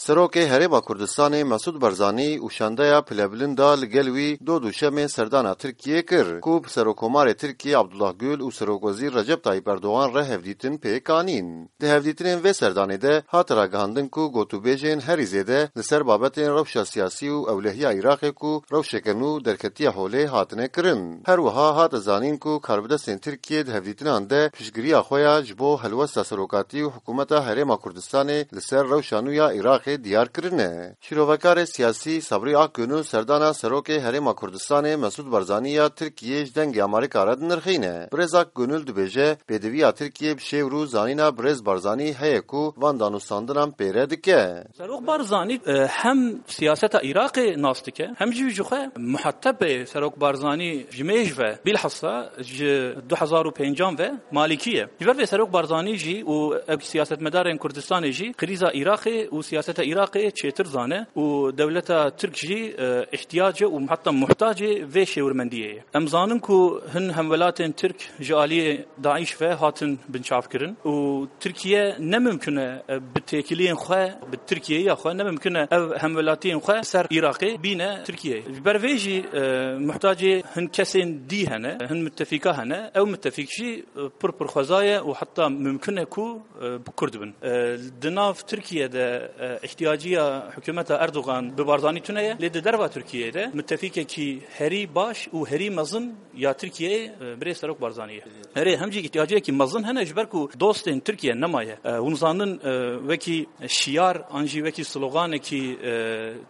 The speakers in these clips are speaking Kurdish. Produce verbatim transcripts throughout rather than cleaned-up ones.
Serokê Herêma Kurdistanê Mesûd Barzanî û şandeya pilebilind da li gel wî dod û şemên serdana Tirkiyê kir, ku bi Serokkomarê Tirkiyê Abdullah Gül û Serokwezîr Recep Tayyip Erdogan re hevdîtin pêk anîn. Di hevdîtinên vê serdanê de hate ragihandin ku gotûbêjên herî zêde li ser babetên rewşa siyasî û ewlehiya Iraqê ku rewşeke nû derketiye holê hatine kirin. Her wiha hate zanîn ku karbidestên Tirkiyê di hevdîtinan de piştgiriya xwe ya ji bo helwesta serokatî û hikûmeta Herêma Kurdistanê li ser rewşa nû ya Iraqê diyar kirine. Şîrovekarê siyasî Sabrî Akgönül serdana Serokê Herêma Kurdistanê Mesûd Barzanî ya Tirkiyê ji Dengê Amerîka re dinirxîne. Birêz Akgönül dibêje, pêdiviya Tirkiyê bi şêwir û zanîna birêz Barzanî heye ku van danûstandinan pêre dike. Serok Barzanî, e, hem siyaseta Iraqê nas dike, hem jî ji xwe muhatebê Serok Barzanî ji mêj ve, bilhassa ji du hezar û pêncan ve Malîkî ye. Ji ber vê Serok Barzanî jî û ev siyasetmedarên Kurdistanê jî krîza Iraqê û siyaseta Iraqê çêtir zane û dewleta Tirk jî, e, ihtiyace û heta muhtacê vê şêwirmendiyê ye. Em zanin ku hin hemwelatên Tirk ji aliyê DAIŞ ve hatin binçavkirin û Tirkiye ne mimkun e, e, bi têkiliyên xwe, bi Tirkiyeya xwe ne mimkun e ev hemwelatiyên xwe ser Iraqê bîne Tirkiyeyê. Ji ber vê jî, e, muhtacê hin kesên dî hene, hin mitefîka hene. Ew mitefîk jî, e, pir pir xweza ye û heta mimkun e ku, e, bi Kurd bin. E, di nav Tirkiye de, e, ihtiyaciya hikûmeta Erdogan bi Barzanî tune ye, lê di derva Tirkiyeyê de mitefîkekî herî baş û herî mezin ya Tirkiyeyê, e, birêz Serok Barzanî ye. Erê, hem jî ihtiyaciyekî mezin hene, ji ber ku dostên Tirkiye nemaye. E, hûn zanin, e, wekî şiyar an jî wekî sloganekî, e,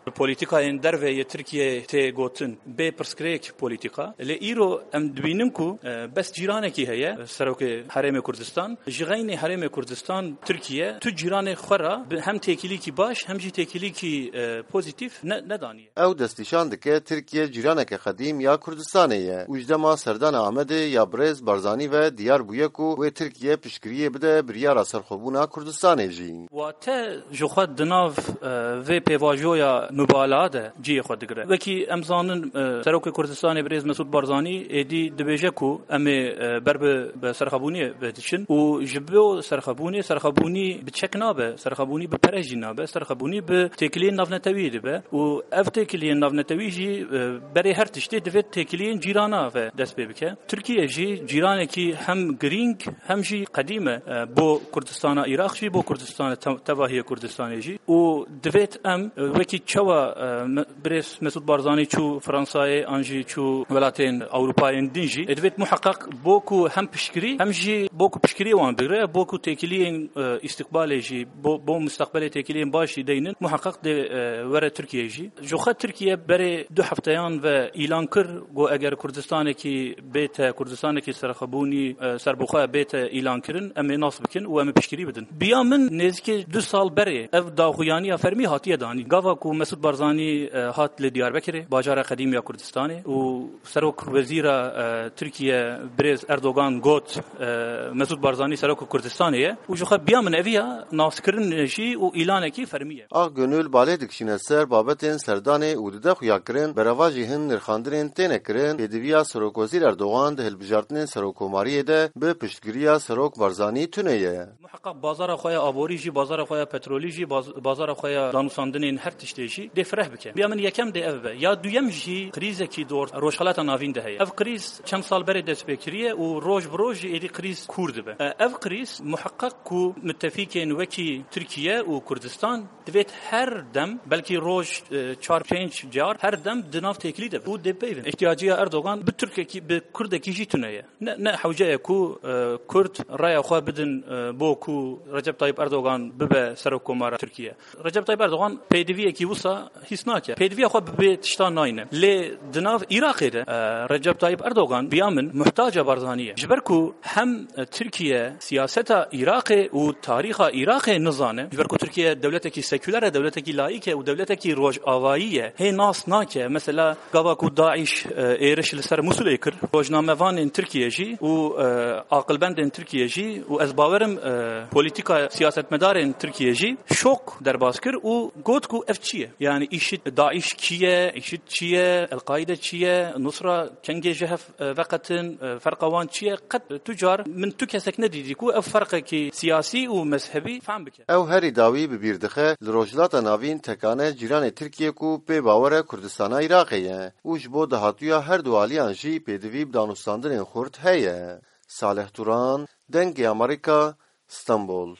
bi polîtîkayên derve yê Tirkiyeyê tê gotin, bê pirsgirêk polîtîka. Lê îro em dibînin ku, e, bes cîranekî heye, e, serokê Herêmê Kurdistan. Ji xeynê Herêmê Kurdistan, Tirkiye, tu cîranê xwe re bi hem têkilîkî baş, hem jî têkilîkî, e, pozîtîf ne-, nedaniye. Ew destnîşan dike Tirkiye cîraneke qedîm ya Kurdistanê ye û ji dema serdana Amedê ya birêz Barzanî ve diyar bûye ku wê Tirkiye piştgiriyê bide biryara serxwebûna Kurdistanê jî. Wate ji xwe di nav, e, vê pêvajoya mubalaxa de cihê xwe digire. Wekî em zanin, e, Serokê Kurdistanê birêz Mesûd Barzanî êdî dibêje ku em ê, e, ber bi, bi serxwebûnê ve diçin û ji bo serxwebûnê, serxwebûnî bi çek nabe, serxwebûnî bi pere jî nabe, serxwebûnî bi têkiliyên navnetewî dibe û ev têkiliyên navnetewî jî, e, berê her tiştê divê têkiliyên cîrana ve dest pê bike. Tirkiye jî cîranekî hem girîng hem jî qedîm e, e, bo Kurdistana Iraq jî, bo Kurdistana te-, tevahiya Kurdistanê jî û divêt em, e, wekî çawa, e, me-, birêz Mesûd Barzanî çû Fransayê an jî çû welatên Ewropayên din jî, e, divêt muheqeq bo ku hem piştgirî hem jî bo ku piştgirî wan bigire, bo ku têkiliyên, e, îstiqbalê jî, bo, bo mustaqbelê têkiliyên baş jî deynin, muheqeq dê, e, were Tirkiye jî. Ji xwe Tirkiye berê du hefteyan ve îlan kir, got eger Kurdistanekî bête, Kurdistanekî serxwebûnî, e, serbixwe bête îlankirin, em ê nas bikin û em ê piştgirî bidin. Biya min nêzîkî du sal berê ev daxuyaniya fermî hatiye danîn. Gava ku Mesûd Barzanî, e, hat li Diyarbekirê, bajara qedîm ya Kurdistanê û Serok Wezîra, e, Tirkiye birêz Erdogan got, e, Mesûd Barzanî Serok Kurdistanê ye û ji xwe biya min eviya naskirin jî û îlanekî fermî ye. Akgönül balê dikişîne ser babetên serdanê û dide xuyakirin, berevajî hin nirxandinên têne kirin, pêdiviya Serokwezîr Erdogan di hilbijartinên serokkomariyê de bi piştgiriya Serok Barzanî tune ye. Muheqeq bazara xwe ya aborî jî, bazara xwe ya petrolî jî, baz-, bazara xwe ya danûsandinên her tiştê jî dê fireh bike. Biya min yekem dê ev be. Ya duyem jî krîzekî dor Rojhelata Navîn de heye. Ev krîz çend sal berê dest pê kiriye û roj bi roj jî êdî krîz kûr dibe. E, ev krîz muheqeq ku mitefîkên wekî Tirkiye û Kurdistan divêt her dem, belkî roj, e, çar pênc car, her dem di nav têkilî de be û dê peyvin. Îhtiyaciya Erdogan bi Tirkekî, bi Kurdekî jî tune ye. Ne, ne hewce ye ku, e, Kurd raya xwe bidin, e, bo ku Recep Tayyip Erdogan bibe serokkomara Tirkiye. Recep Tayyip Erdogan pêdiviyekî wisa hîs nake. Pêdiviya xwe bi vê tişta nayne. Lê di nav Iraqê de, e, Recep Tayyip Erdogan biya min muhtaca Barzanî ye. Ji ber ku hem, e, Tirkiye siyaseta Iraqê û tarîxa Iraqê nizane, ji ber ku Tirkiye dewletekî sekûler e, dewletekî laîk e û dewletekî rojavayî ye. Hê nas nake. Mesela gava ku DAIŞ, e, êriş li ser Mûsilê kir, rojnamevanên Tirkiye jî û, e, aqilbendên Tirkiye jî û ez bawerim, e, polîtîka siyasetmedarên Tirkiye jî şok derbas kir û got ku ev çi ye? Yani IŞİD, DAIŞ kî ye? IŞİD çi ye? El-Qaîde çi ye? Nusra kengê ji hev, e, veqetin, e, ferqa wan çi ye? Qet tu car min tu kesek nedîtî ku ev ferqekî siyasî û mezhebî fehm bike. Ew herî dawî bi bîr dixe li Rojhilata Navîn tekane cîranê Tirkiyê ku pê bawer e Kurdistana Iraqê ye û ji bo dahatûya her du aliyan jî pêdivî bi danûstandinên xurt heye. Salih Turan, Dengê Amerîka, Stenbol.